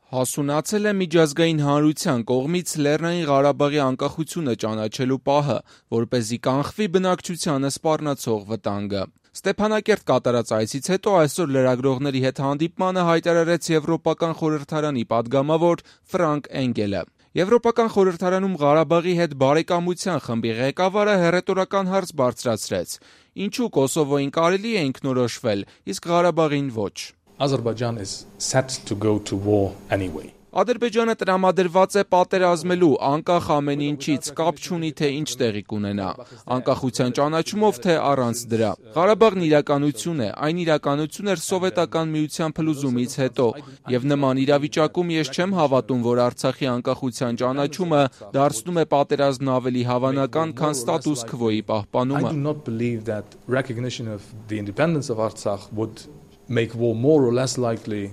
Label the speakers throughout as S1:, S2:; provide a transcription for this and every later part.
S1: Հասունացել է միջազգային հանրության կողմից Լեռնային Ղարաբաղի անկախությունը ճանաչելու պահը, որպեսզի կանխվի բնակչությանը սպառնացող վտանգը։ Ստեփանակերտ կատարած այցից հետո այսօր լրագրողների հետ հանդիպմանը հայտարարեց Եվրոպական խորհրդարանի падգամավոր Ֆրանկ Էնգելը։ Եվրոպական խորհրդարանում Ղարաբաղի հետ բարեկամության խմբի ղեկավարը հեռետորական հարց բարձրացրեց. ինչու Կոսովոյին կարելի է ինքնորոշվել, իսկ Ղարաբաղին ոչ։
S2: Azerbaijan is set to go to war anyway.
S1: Ադրբեջանը տրամադրված է պատերազմելու, անկախ ամեն ինչից, կապ չունի թե ինչ տեղի կունենա, անկախության ճանաչումով թե առանց դրա։ Ղարաբաղն իրականություն է, այն իրականություն էր Սովետական միության փլուզումից հետո, եւ նման իրավիճակում ես չեմ հավատում, որ Արցախի անկախության ճանաչումը դարձնում է պատերազմն ավելի հավանական, քան ստատուս քվոյի պահպանումը։
S2: I do not believe that recognition of the independence of Artsakh would make war more or less likely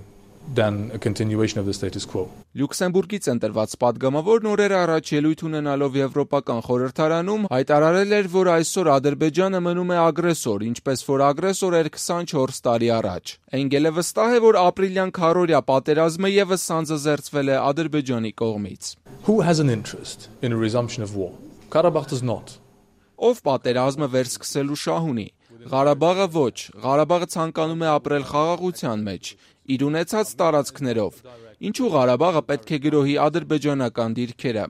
S2: than a continuation of the status quo.
S1: Լյուքսեմբուրգից ընտրված падգամավորն օրեր առաջ ելույթ ունենալով Եվրոպական խորհրդարանում հայտարարել էր, որ այսօր Ադրբեջանը մնում է ագրեսոր, ինչպես որ ագրեսոր էր 24 տարի առաջ։ Էնգելը վստահ է, որ ապրիլյան քարորյա պատերազմը եւս սանձազերծվել է Ադրբեջանի կողմից։
S2: Who has an interest in a resumption of war? Karabakh does not.
S1: Ով պատերազմը վերսկսելու շահ ունի։ Ղարաբաղը ոչ, Ղարաբաղը ցանկանում է ապրել խաղաղության մեջ, իր ունեցած տարածքներով։ Ինչու Ղարաբաղը պետք է գրոհի ադրբեջանական դիրքերը։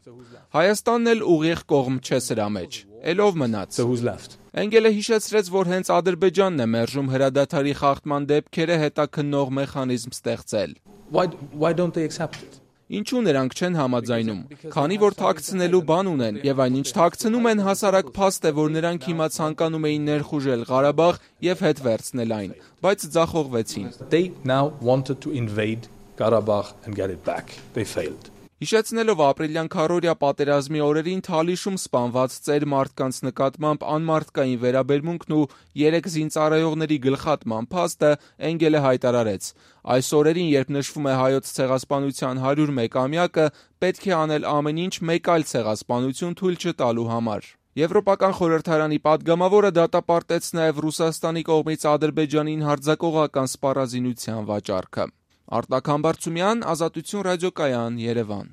S1: Հայաստանն էլ ուղիղ կողմ չէ սրա մեջ։ Էլով մնաց։
S2: So who's left?
S1: Էնգելը հիշեցրեց, որ հենց Ադրբեջանն է մերժում հրադադարի խախտման դեպքերը հետաքննող մեխանիզմ ստեղծել։
S2: Why don't they accept it?
S1: Ինչու նրանք չեն համաձայնում, քանի որ թաքցնելու բան ունեն, եւ այնինչ թաքցնում են հասարակ փաստ է, որ նրանք հիմա ցանկանում էին ներխուժել Ղարաբաղ եւ հետ վերցնել այն, բայց ձախողվեցին։
S2: They now wanted to invade Karabakh and get it back. They failed.
S1: Հիշեցնելով ապրիլյան քարորյա պատերազմի օրերին Թալիշում սպանված ծեր մարդկանց նկատմամբ անմարդկային վերաբերմունքն ու 3 զինծառայողների գլխատման փաստը, Էնգելը հայտարարեց. այս օրերին, երբ նշվում է հայոց ցեղասպանության 101-ամյակը, պետք է անել ամեն ինչ մեկ այլ ցեղասպանություն թույլ չտալու համար։ Եվրոպական խորհրդարանի падգամավորը դատապարտեց նաև Ռուսաստանի կողմից Ադրբեջանին հարձակողական սպառազինության վաճառքը։ Արտակ Համբարձումյան, Ազատություն ռադիոկայան, Երևան։